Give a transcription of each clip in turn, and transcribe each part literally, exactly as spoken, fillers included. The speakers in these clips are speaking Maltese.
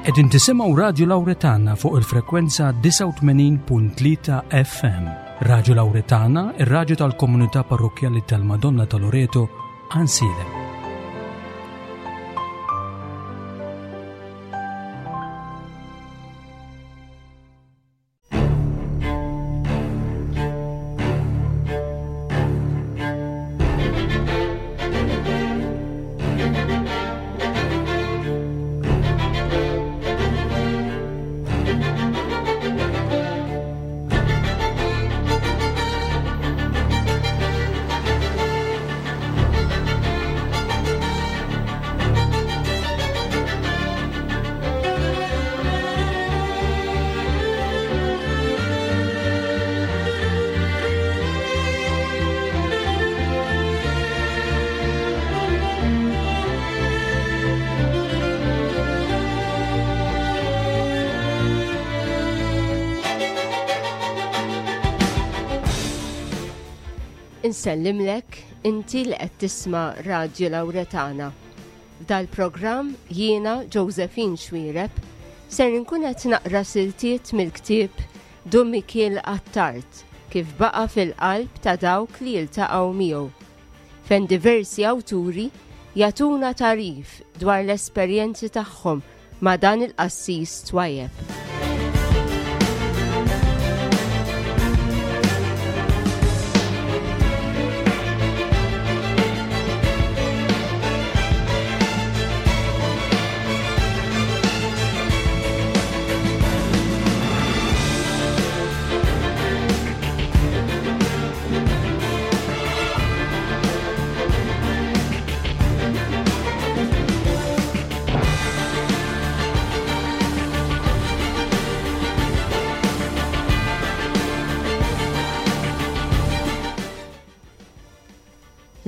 Qegħdin tisimgħu Radju Lawretana fuq il-frekwenza disgħa u tmenin punt tlieta F M. Radju Lawretana, ir-radju tal-Komunità Parrokkjali tal-Madonna ta' Loreto, Għajnsielem. Insellimlek inti li qed tisma' Radju Lawretana. F'dal-programm jiena, Josephine Xuereb, ser nkun qed naqra siltiet mill-ktieb Dun Mikiel Attard kif baqa' fil-qalb ta' dawk li jiltaqgħu miegħu, fejn diversi awturi jagħtuna tagħrif dwar l-esperjenzi tagħhom ma' dan il-qassis twajjeb.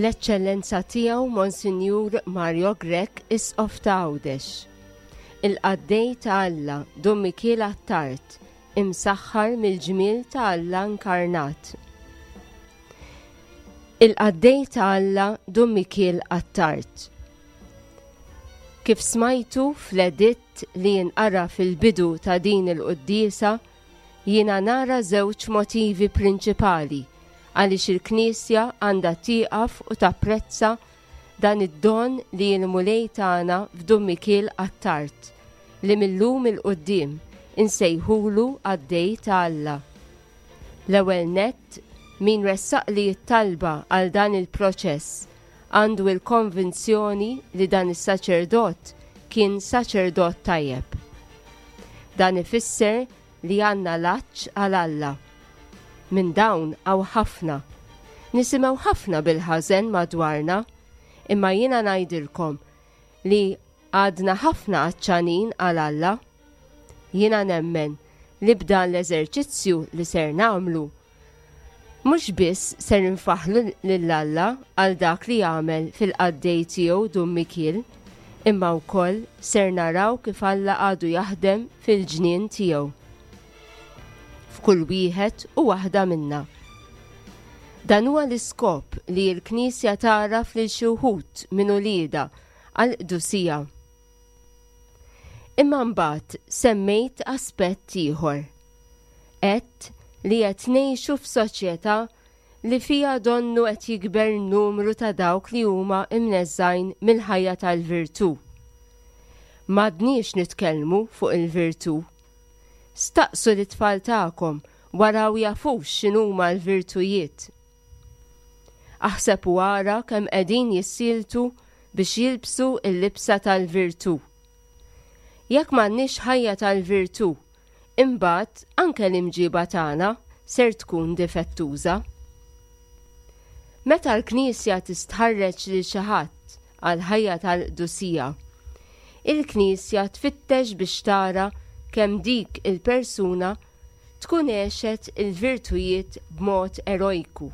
L-Eċċellenza Tiegħu Monsinjur Mario Grech, Isqof ta' Għawdex. Il-qaddej ta' Alla, Dun Mikiel Attard, imsaħħar mill-ġmiel ta' Alla inkarnat. Il-qaddej ta' Alla, Dun Mikiel Attard. Kif smajtu fl-editt li jinqara fil-bidu ta' din il-quddiesa, jiena nara żewġ motivi prinċipali għaliex il-Knisja għandha tieqaf u tapprezza dan id-don li l-Mulej tagħna f'Dun Mikiel Attard, li mil-lum 'il quddiem insejħulu qaddej ta' Alla. L-ewwel nett, min ressaqli t-talba għal dan il-proċess għandu il-konvinzjoni li dan is-saċerdot kien saċerdot tajjeb. Dan ifisser li għandna l-għatx għal Alla. Minn dawn hawn ħafna. Nisimgħu ħafna bil-ħażen madwarna, imma jiena ngħidilkom li għadna ħafna għatxanin għal Alla. Jiena nemmen li b'dan l-eżerċizzju li ser nagħmlu, mhux biss ser nfaħħru lil Alla għal dak li għamel fil-qaddej tiegħu Dun Mikiel, imma wkoll ser naraw kif Alla għadu jaħdem fil-ġnien tiegħu, f'kull wieħed u waħda minna. Dan huwa l-iskop li l-Knisja tagħraf lil xi wħud minn uliedha għall-qdusija. Imma mbagħad semmejt aspett ieħor. Għedt li qed ngħixu f'soċjetà li fija donnu qed jikber numru ta' dawk li huma imneżżgħin mill-ħajja tal-virtù. M'għadniex nitkellmu fuq il-virtù. Staqsu lit-tfal tagħkom waraw jafux x'inhuma l-virtujiet. Aħseb u ara kemm qegħdin jissieltu biex jilbsu l-libsa tal-virtù. Jekk m'għandniex ħajja tal-virtù, imbagħad anke l-imġiba tagħna ser tkun difettuża. Meta l-Knisja tistħarreġ lil xi ħadd għal ħajja tal-qdusija, il-Knisja tfittex biex tara kemm dik il-persuna tkun għexet il-virtujiet b'mod erojku.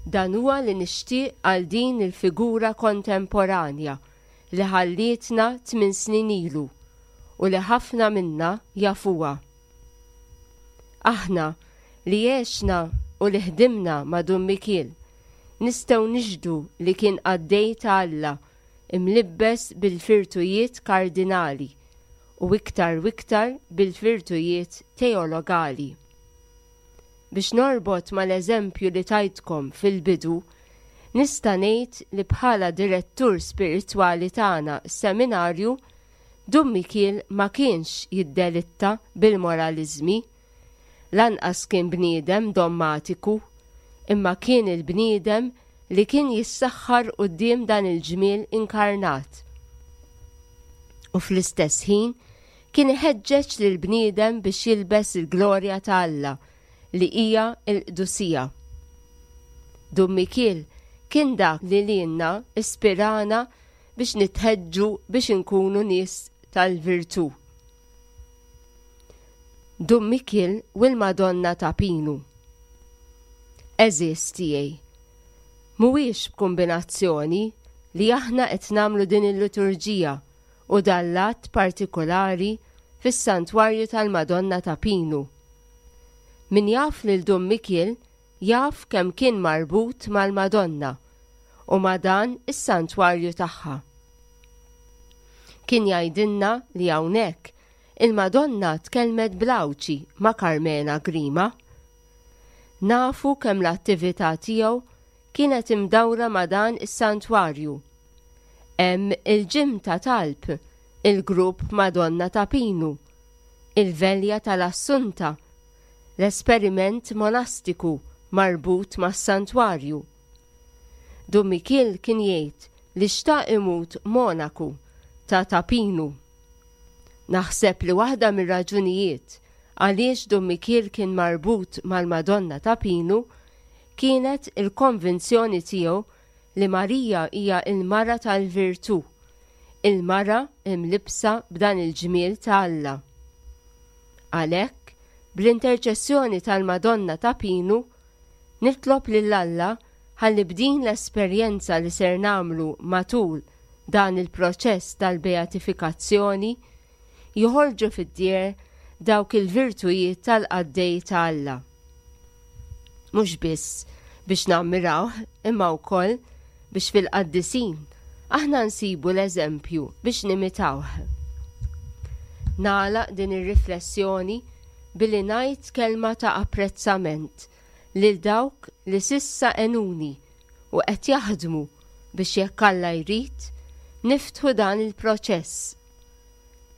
Dan huwa li nixtieq għal din il-figura kontemporanja li ħallietna tmien snin ilu u li ħafna minna jafuha. Aħna li għexna u li ħdimna ma' Dun Mikiel nistgħu nixhdu li kien qaddej ta' Alla imlibbes bil-virtujiet kardinali u iktar u iktar bil-virtujiet teologali. Biex norbot mal-eżempju li tajtkom fil-bidu, nista' ngħid li bħala direttur spiritwali tagħna seminarju, Dun Mikiel ma kienx jiddelitta bil-moraliżmi, lanqas kien bniedem dommatiku, imma kien il-bniedem li kien jissaħħar quddiem dan il-ġmiel inkarnat. U fl-istess ħin kien iħeġġeġ lill-bniedem biex jilbes il-glorja ta' Alla li hija l-qdusija. Dun Mikiel kien dak li lilna ispirana biex nitħeġġu biex inkunu nies tal-virtù. Dun Mikiel u l-Madonna ta' Pinu. Għeżież tiegħi, mhuwiex b'kombinazzjoni li aħna qed nagħmlu din il-liturġija u dan l-att partikolari fis-Santwarju tal-Madonna ta' Pinu. Min jaf lil Dun Mikiel jaf kemm kien marbut mal-Madonna u ma' dan is-santwarju tagħha. Kien jgħidilna li hawnhekk il-Madonna tkellmet bl-Għawdxi ma' Karmena Grima. Nafu kemm l-attività tiegħu kienet imdawra ma' dan is-santwarju. Hemm il-ġim ta' talb, il-grupp Madonna ta' Pinu, il-Velja tal-Assunta, l-esperiment monastiku marbut mas-santwarju. Dun Mikiel kien jgħid li xtaq imut monaku ta' Ta' Pinu. Naħseb li waħda mir-raġunijiet għaliex Dun Mikiel kien marbut mal-Madonna ta' Pinu kienet il-konvinzjoni tiegħu li Marija hija il-mara tal-virtù, il-mara imlibsa b'dan il-ġmiel ta' Alla. Għalhekk, bl-interċessjoni tal-Madonna ta' Pinu, nitlob lil Alla ħalli b'din l-esperjenza li ser nagħmlu matul dan il-proċess tal-beatifikazzjoni joħorġu fid-dieher dawk il-virtujiet tal-qaddej ta' Alla. Mhux biss biex nammirawh imma wkoll biex fil-qaddisin aħna nsibu l-eżempju biex nimitawh. Nagħlaq din ir-riflessjoni billi ngħid kelma ta' apprezzament lil dawk li sissa għenuni u qed jaħdmu biex jekk Alla jrid niftħu dan il-proċess.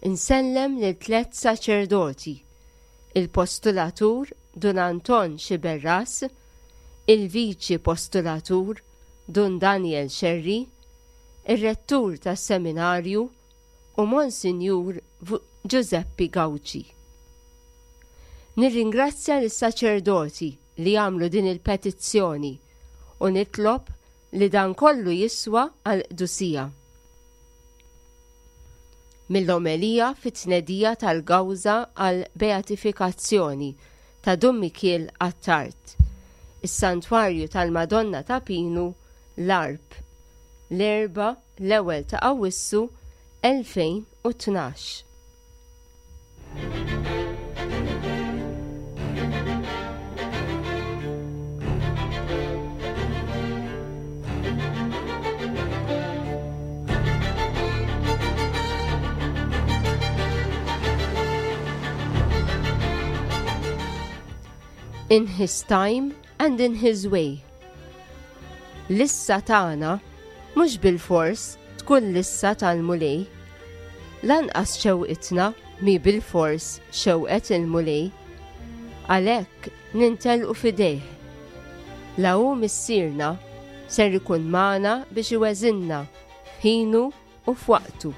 Insellem lil tliet saċerdoti, il-postulatur Dun Anton Xiberras, il-viċi postulatur Dun Daniel Scerri, ir-rettur tas-seminarju u Monsinjur Giuseppe Gauci. Nirringrazzja lis-saċerdoti li għamlu din il-petizzjoni u nitlob li dan kollu jiswa għal-qdusija. Mill-omelija fit-tnedija tal-gawża għal-beatifikazzjoni ta' Dun Mikiel Attard, is-Santwarju tal-Madonna ta' Pinu, l-Għarb, l-Erbgħa l-ewwel ta' Awwissu elfejn u tnax. In his time and in his way. Lissa tagħna mhux bilfors tkun lissa tal-Mulej. Lanqas xewqitna mi bilfors xewqet il-Mulej. Għalhekk nintelqu f'idejh. La hu missierna ser ikun magħna biex iweżinna f'ħinu u f'waqtu.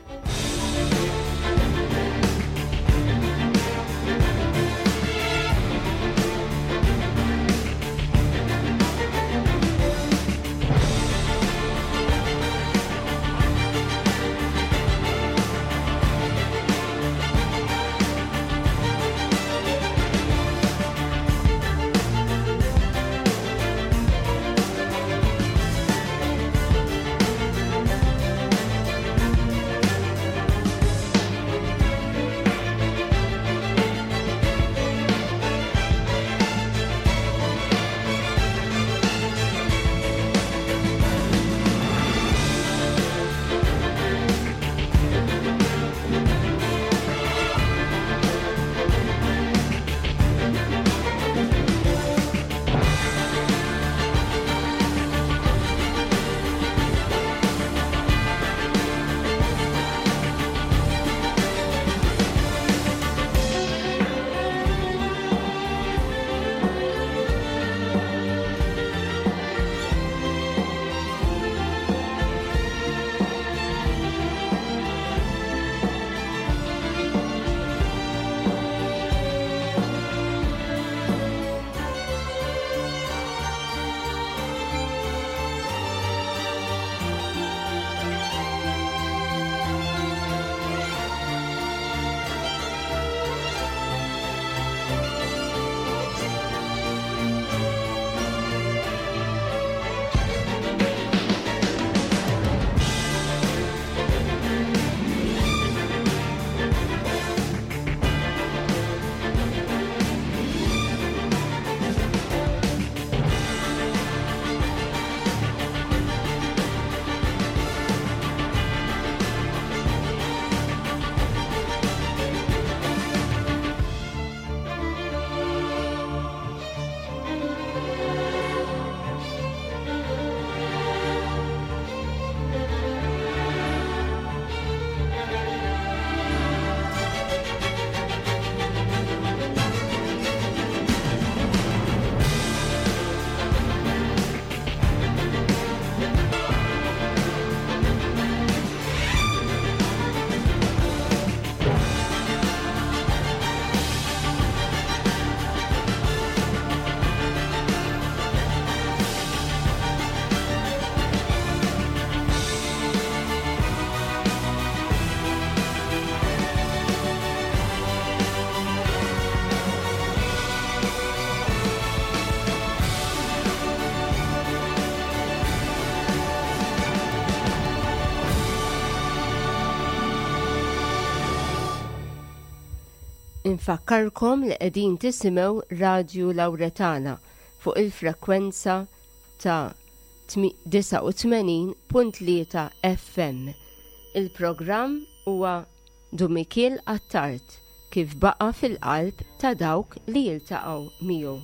Infakkarkom li qegħdin tisimgħu Radju Lawretana fuq il-frekwenza ta' disgħa u tmenin punt tlieta F M. Il-programm huwa Dun Mikiel Attard kif baqa' fil-qalb ta' dawk li jiltaqgħu miegħu.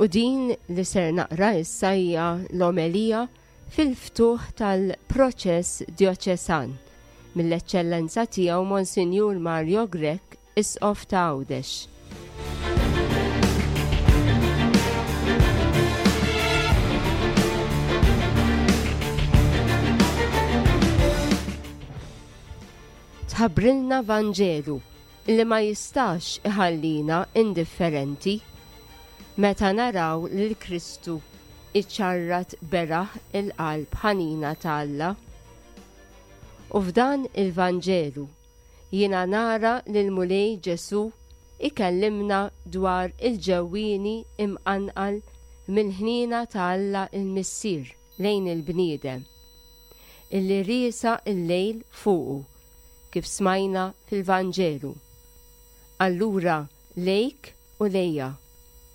U din li ser naqra issa hija l-omelija fil-ftuħ tal-proċess djoċesan mill-Eċċellenza tiegħu Monsinjur Mario Grech, Isqof ta' Għawdex. Tħabbrilna Vanġelu li ma jistax iħallina indifferenti meta naraw lil Kristu iċċarrat beraħ il-qalb ħanina ta' Alla. U f'dan il-Vanġelu jiena nara lil Mulej Ġesu ikellimna dwar il-ġewwieni imqanqal mill-ħniena ta' Alla il-Missier lejn il-bniedem, illi riesa il-lejl fuqu kif smajna fil-Vanġelu. Allura lejk u lejja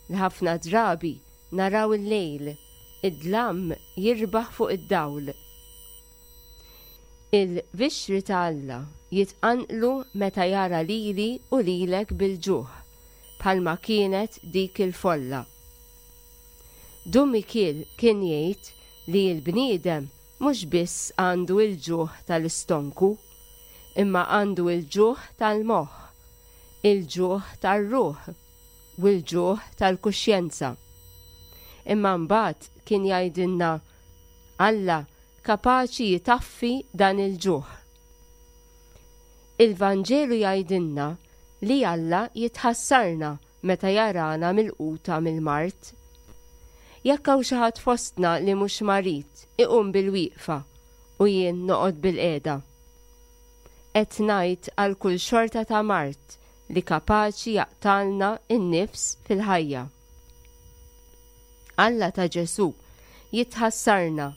li ħafna drabi naraw il-lejl, id-dlam jirbaħ fuq id-dawl. Il-vixri ta' Alla jitqanqlu meta jara lili u lilek bil-ġuħ, bħalma kienet dik il-folla. Dun Mikiel kien jgħid li l-bniedem mhux biss għandu il-ġuħ tal-istonku, imma għandu il-ġuħ tal-moħħ, il-ġuħ tar-ruħ u l-ġuħ tal-kuxjenza. Imma mbagħad kien jgħidilna Alla kapaċi jitaffi dan il-ġuħ. Il-Vanġelu jgħidilna li Alla jitħassarna meta jarana milquta mill-mard. Jekk hawn xi ħadd fostna li mhux marid, iqum bil-wieqfa u jien noqgħod bil-qiegħda. Qed ngħid għal kull xorta ta' mard li kapaċi jaqtalna n-nifs fil-ħajja. Alla ta' Ġesu jitħassarna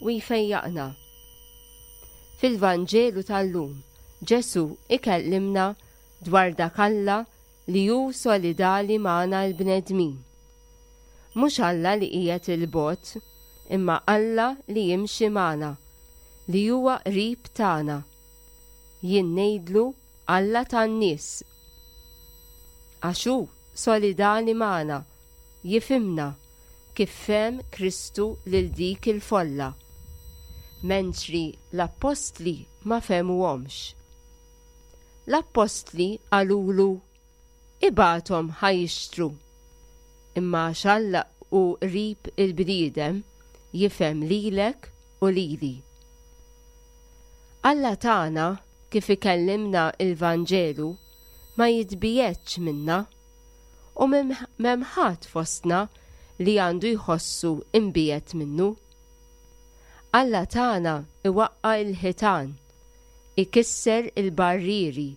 u jfejjaqna. Fil-Vanġelu tal-lum, Ġesu ikellimna dwar dak Alla li hu solidali magħna l-bnedmin. Mhux Alla li qiegħed il-bogħod, imma Alla li jimxi magħna, li huwa qrib tagħna. Jien ngħidlu Alla tan-nies. Għax hu solidali magħna, jifhimna kif fehem Kristu lil dik il-folla, mentri l-appostli ma fehmuhomx. L-appostli qalulu ibgħathom ħa jixtru, imma għax Alla hu qrib il-bniedem jifhem lilek u lili. Alla tagħna kif ikellimna il-Vanġelu ma jitbiegħedx minna u m'hemm ħadd fostna li għandu jħossu imbiegħed minnu. Alla tagħna iwaqqa' l-ħitan, ikisser il-barrieri,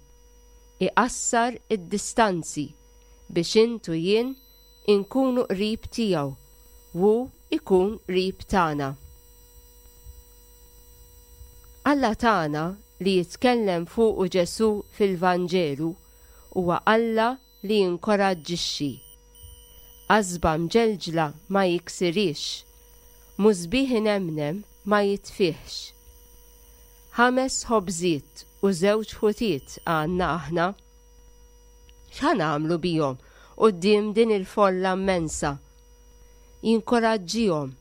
iqassar id-distanzi biex int u jien inkunu qrib tiegħu u ikun qrib tagħna. Alla tagħna li jitkellem fuqu Ġesu fil-Vanġelu huwa Alla li jinkoraġġixxi. Qasba mġelġla ma jiksirix, musbieħ inemnem ma jitfihx. Ħames ħobżiet u żewġ ħutiet għandna aħna. X'ħa nagħmlu bihom quddiem din il-folla immensa? Jinkoraġġihom.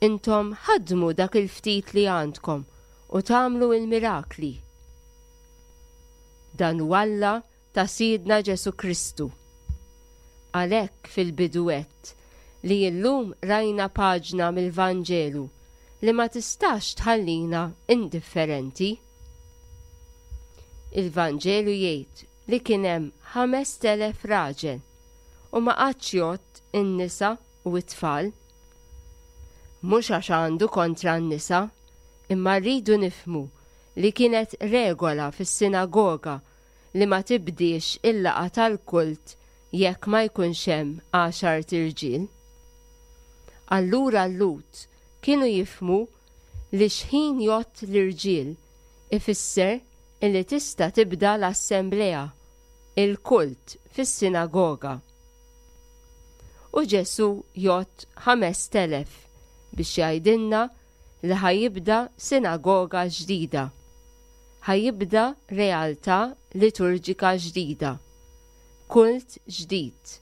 Intom ħadmu dak il-ftit li għandkom u tagħmlu il-mirakli. Dan hu Alla ta' Sidna Ġesu Kristu. Għalhekk fil-bidu għedt li llum rajna paġna mill-Vanġelu li ma tistax tħallina indifferenti. Il-Vanġelu jgħid li kien hemm ħamest elef raġel u ma qagħadx jgħodd in-nisa u t-tfal. Mhux għax għandu kontra n-nisa, imma rridu nifhmu li kienet regola fis-sinagoga li ma tibdiex il-laqgħa tal-kult jekk ma jkunx hemm għaxart irġiel. Allura l-Lhud kienu jifhmu li x'ħin jgħodd l-irġiel ifisser illi tista' tibda l-assemblea, il-kult fis-sinagoga. U Ġesù jgħodd ħamest elef biex jgħidilna li ħa jibda sinagoga ġdida. Ħa jibda realtà liturġika ġdida. Kult ġdid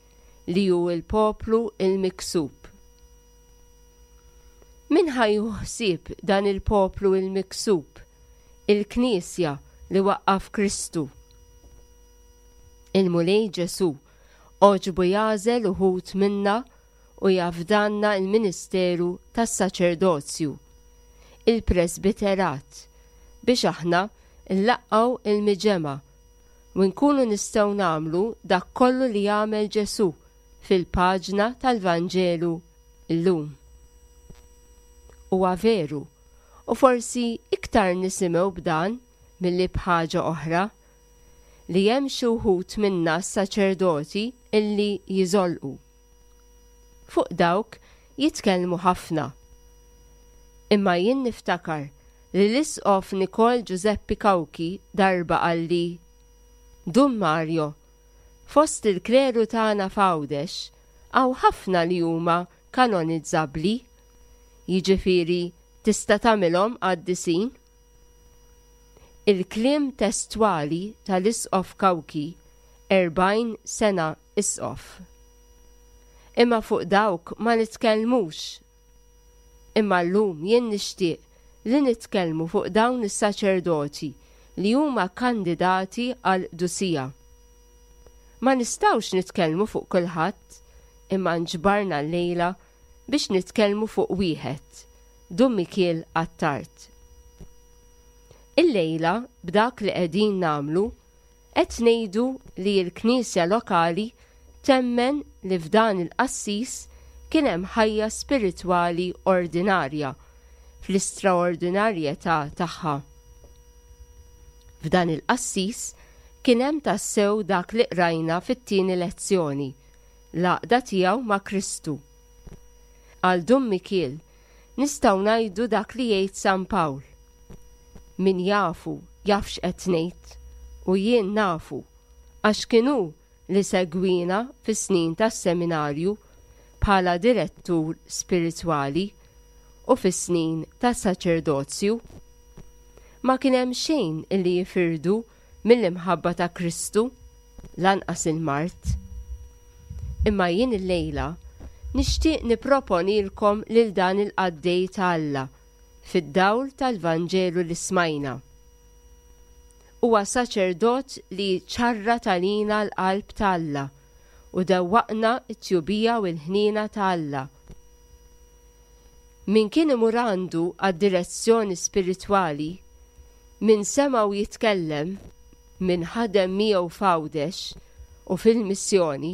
li hu l-poplu il-miksub. Min ħa jieħu ħsieb dan il-poplu il-miksub? Il-Knisja li waqqaf Kristu. Il-Mulej Ġesù għoġbu jagħżel uħud minna u jafdanna il-ministeru tas-saċerdozju, il-presbiterat, biex aħna nlaqqgħu il-miġemgħa u nkunu nistgħu nagħmlu dak kollu li jagħmel Ġesù fil-paġna tal-Vanġelu llum. Huwa veru, u forsi iktar nisimgħu b'dan milli b'ħaġa oħra, li hemm xi wħud minna s-saċerdoti illi jiżolqu. Fuq dawk jitkellmu ħafna. Imma jien niftakar li l-Isqof Nikol Giuseppe Cauchi darba qalli, Dun Mario, fost il-kleru tagħna f'Għawdex hawn ħafna li huma kanonizzabbli, jiġifieri tista' tagħmilhom qaddisin. Il-kliem testwali tal-Isqof Cauchi, erbgħin sena isqof. Imma fuq dawk ma nitkellmux. Imma llum jien nixtieq li nitkellmu fuq dawn is-saċerdoti li huma kandidati għal qdusija. Ma nistgħux nitkellmu fuq kulħadd, imma nġbarna llejla biex nitkellmu fuq wieħed, Dun Mikiel Attard. Illejla b'dak li qegħdin nagħmlu qed ngħidu li l-Knisja lokali temmen li f'dan il-qassis kien hemm ħajja spiritwali ordinarja fl-istraordinarjetà tagħha. F'dan il-qassis kien hemm tassew dak li qrajna fit-tieni lezzjoni, l-għaqda tiegħu ma' Kristu. Għal Dun Mikiel nistgħu ngħidu dak li jgħid San Pawl. Min jafu jaf x'qed ngħid, u jien nafu, għax kien hu li segwina fis-snin tas-seminarju bħala direttur spiritwali u fis-snin tas-saċerdozju. Ma kien hemm xejn illi jifirdu mill-imħabba ta' Kristu, lanqas il-mard. Imma jien illejla nixtieq nipproponilkom lil dan il-qaddej ta' Alla fid-dawl tal-Vanġelu li smajna. Huwa saċerdot li ċarrat għalina l-qalb ta' Alla u dewwaqna t-tjubija u l-ħniena ta' Alla. Min kien imur għandu għad-direzzjoni spiritwali, min semgħu jitkellem, min ħadem miegħu f'Għawdex u fil-missjoni,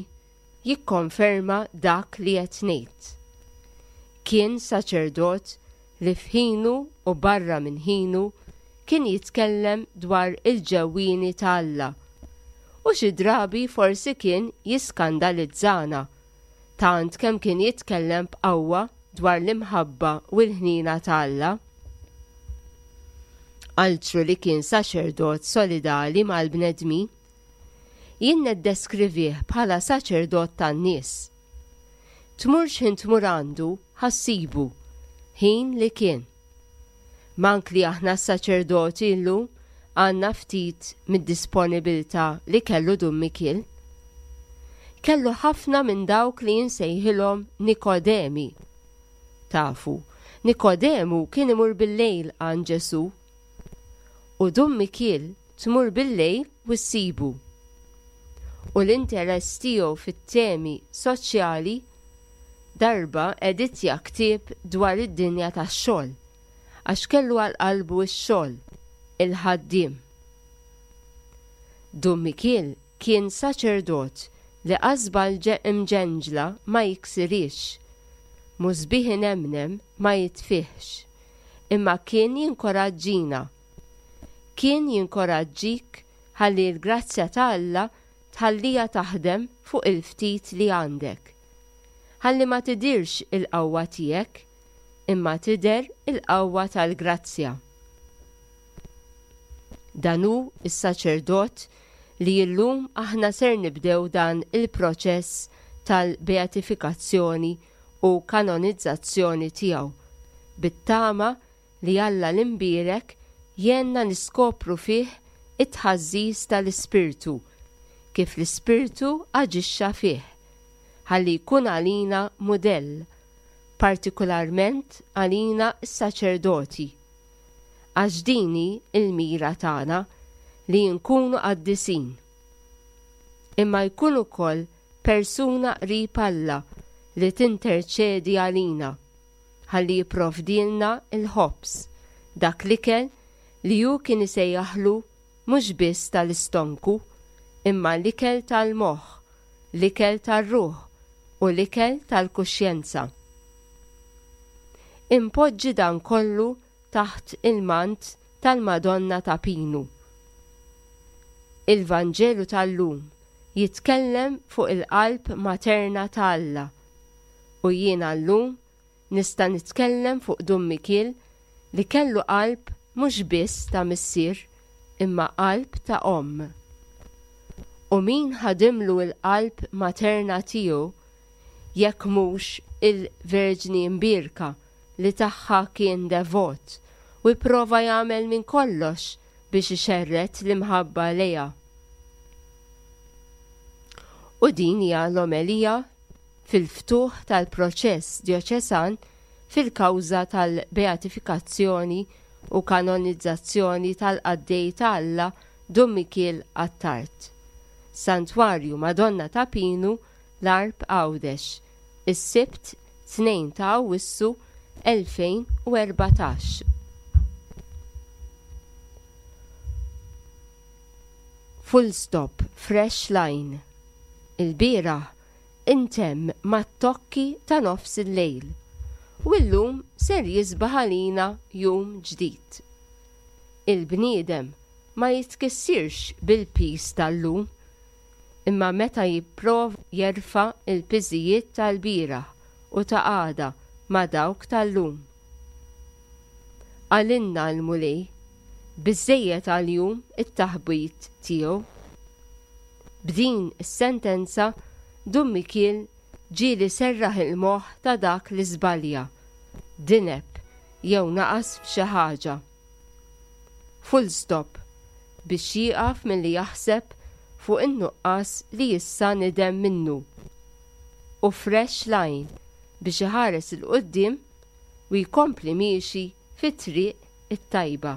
jikkonferma dak li qed ngħid. Kien saċerdot li f'ħinu u barra minn ħinu kien jitkellem dwar il-ġewwieni ta' Alla. U xi drabi forsi kien jiskandalizzana, tant kemm kien jitkellem b'qawwa dwar l-imħabba u l-ħnina ta' Alla. Altru li kien saċerdot solidali mal-bnedmin, jien neddeskrivih bħala saċerdot tan-nies. Tmur x'ħin tmur għandu, ħassibu, ħin li kien. Mank li aħna s-saċerdoti llum għandna ftit mid-disponibilità li kellu Dun Mikiel. Kellu ħafna minn dawk li jinsejħilhom Nikodemi. Tafu, Nikodemu kien imur bil-lejl għand Ġesù. U Dun Mikiel tmur bil-lejl u ssibu. U l-interess tiegħu fit-temi soċjali darba editja ktieb dwar id-dinja tax-xogħol, għax kellu għal qalbu x-xogħol, il-ħaddiem. Dun Mikiel kien saċerdot li qasba imġenġla ma jiksirix, musbieħ inemnem ma jitfihx, imma kien jinkoraġġina. Kien jinkoraġġik ħalli l-grazzja ta' Alla tħallija taħdem fuq il-ftit li għandek. Ħalli ma tidirx il-qawwa tiegħek, imma tidher il-qawwa tal-grazzja. Dan hu s-saċerdot li llum aħna ser nibdew dan il-proċess tal-beatifikazzjoni u kanonizzazzjoni tiegħu, bit-tama li Alla l-imbierek jgħinna niskopru fih it-tħażżiż tal-Ispirtu, kif l-Ispirtu aġixxa fih, ħalli jkun għalina mudell, partikolarment għalina s-saċerdoti. Għax din hi l-mira tagħna li nkunu qaddisin. Imma jkun ukoll persuna qrib Alla li tinterċedi għalina, ħalli jipprovdilna l-ħobż, dak l-ikel li hu kien isejjaħlu mhux biss tal-istonku, imma l-ikel tal-moħħ, l-ikel tar-ruħ u l-ikel tal-kuxjenza. Impoġġi dan kollu taħt il-mant tal-Madonna ta' Pinu. Il-Vanġelu tal-lum jitkellem fuq il-qalb materna ta' Alla u jiena llum nista' nitkellem fuq Dun Mikiel li kellu qalb mhux biss ta' missier imma qalb ta' omm. U min ħadimlu l-qalb materna tiegħu jekk mhux il-Verġni Mbierka li tagħha kien devot u jprova jagħmel minn kollox biex ixerred l-imħabba lejha. U din hija l-omelija fil-ftuħ tal-proċess djoċesan fil-kawża tal-beatifikazzjoni u kanonizzazzjoni tal-qaddej ta' Alla Dun Mikiel Attard. Santwarju Madonna ta' Pinu, l-Għarb Għawdex, is-Sibt tnejn ta' Awwissu elfejn u erbatax. Full stop, fresh line. Il-bieraħ intemm mat-tokki ta' nofs il-lejl u llum ser jisbaħ għalina jum ġdid. Il-bniedem ma jitkissirx bil-pis tal-lum, imma meta jipprova jerfa' il-piżijiet tal-bieraħ u ta' għada ma' dawk tal-lum. Għalinna l-Mulej, biżżejjed għal-jum it-taħbit tiegħu. B'din is-sentenza Dun Mikiel ġieli serraħ il-moħħ ta' dak li żbalja, dineb jew naqas f'xi ħaġa. Full stop biex jieqaf milli jaħseb fuq in-nuqqas li issa nidem minnu. U fresh line biex iħares il-qoddim u jkompli miexi fit-triq it-tajba.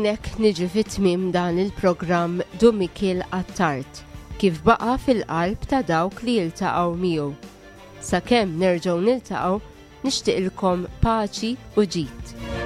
Hawnhekk niġi fit-tmiem dan il-programm Dun Mikiel Attard, kif baqa' fil-qalb ta' dawk li jiltaqgħu miegħu. Sakemm nerġgħu niltaqgħu, nixtieqilkom paċi u ġid.